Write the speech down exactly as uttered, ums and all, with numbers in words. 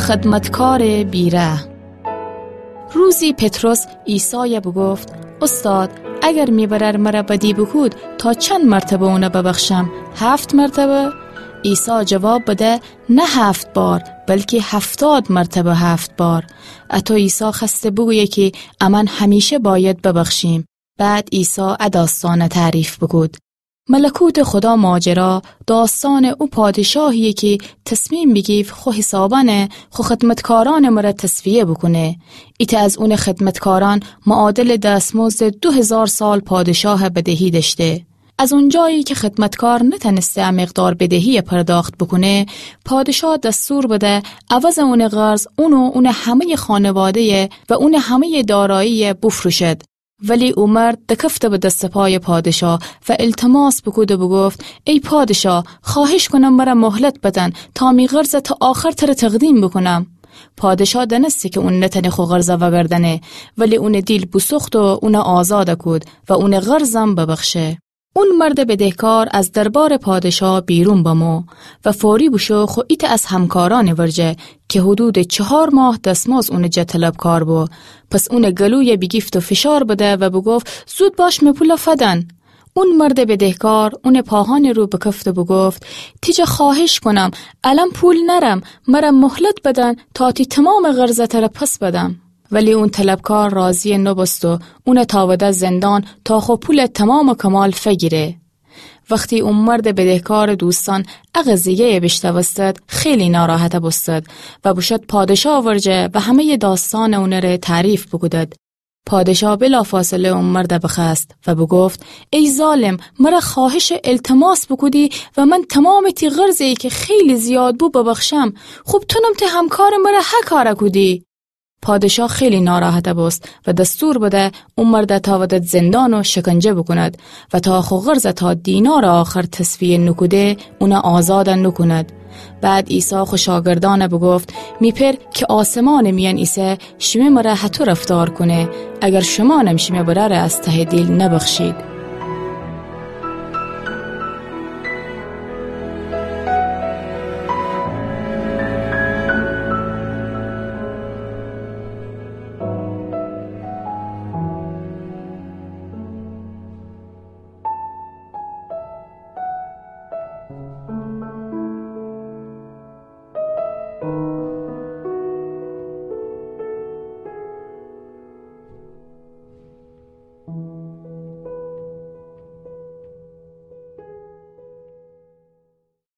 خدمتکارٚ بی‌رحم. روزی پطرس عیسایَ بوگفت: اوستاد، اگر می برأر مرَ بدی بوکود، تا چند مرتبه اونَ ببخشم؟ هفت مرتبه؟ عیسی جواب بده: نه هفت بار، بلکی هفتاد مرتبه هفت بار. اطو عیسی خوأسته بوگویه کی امأن همیشه بأید ببخشیم. بعد عیسی ا داستانَ تعریف بوکود: ملکوتٚ خودا ماجرا داستانٚ او پادشاهییه کی تصمیم بیگیفت خو حسابأنَ خو خدمتکارأنٚ مرَ تصفیه بوکونه. ایتأ از اونٚ خدمتکارأن معادلٚ دستمزدٚ دو هیزار سال پادشاهَ بدهی دأشته. از اونجایی کی خدمتکار نتأنسته ا مقدار بدهییَ پرداخت بوکونه، پادشاه دستور بده عوضٚ اونٚ قرض اون و اونٚ همه‌یٚ خانواده‌یَ و اونٚ همه‌یٚ دارایییَ بوفروشد. ولی او مرد دکفته به دستٚ پایٚ پادشاه و التماس بوکود و بوگفت: ای پادشاه، خوأهش کونم مرَ مهلت بدن تا می قرضَ تا آخر تره تقدیم بوکونم. پادشاه دأنسته کی اون نتأنه خو قرضَ وأگردأنه، ولی اونٚ دیل بوسوخت و اونَ آزادَ کود و اونٚ قرضم ببخشه. اون مردٚ بدهکار از دربارٚ پادشاه بیرون بمو و فوری بوشو خو ایتأ از همکارأنٚ ورجه کی حدودٚ چهار ماه دستمزد اونٚ جا طلبکار بو. پس اونٚ گلویَ بیگیفت و فشار بده و بوگفت: زود باش می پولَ فدن. اون مردٚ بدهکار اونٚ پاهأنٚ رو بکفت و بوگفت: تی جا خوأهش کونم، الأن پول نأرم، مرَ مهلت بدن تا تی تومامٚ قرضَ تره پس بدم. ولی اون طلبکار راضی نوبوست و اونَ تأوده زندان تا خو پولَ تومام و کمال فگیره. وختی او مردٚ بدهکارٚ دوستأن ا قضیه‌یَ بیشنوستد، خیلی ناراحت بوستد و بوشد پادشاه ورجه و همه‌یٚ داستانٚ اونٚره تعریف بوکودد. پادشاه بلافاصله او مردَ بخوأست و بوگفت: ای ظالم، مرَ خوأهشٚ التماس بوکودی و من تومامٚ تی قرضی کی خیلی زیاد بو ببخشم. خوب تونم تی همکارٚ مرَ هه کارَ کودی. پادشاه خیلی ناراحت بوست و دستور بده او مردَ تأودد زندان و شکنجه بوکوند و تا خو قرضَ تا دینارٚ آخر تصفیه نوکوده، اونَ آزادَ نوکوند. بعد عیسی خو شاگردأنَ بوگفت: می پئر کی آسمانٚ میأن ایسه، شیمه مرَ هطو رفتار کونه، اگر شومأنم شیمه برأرَ از تهٚ دیل نبخشید.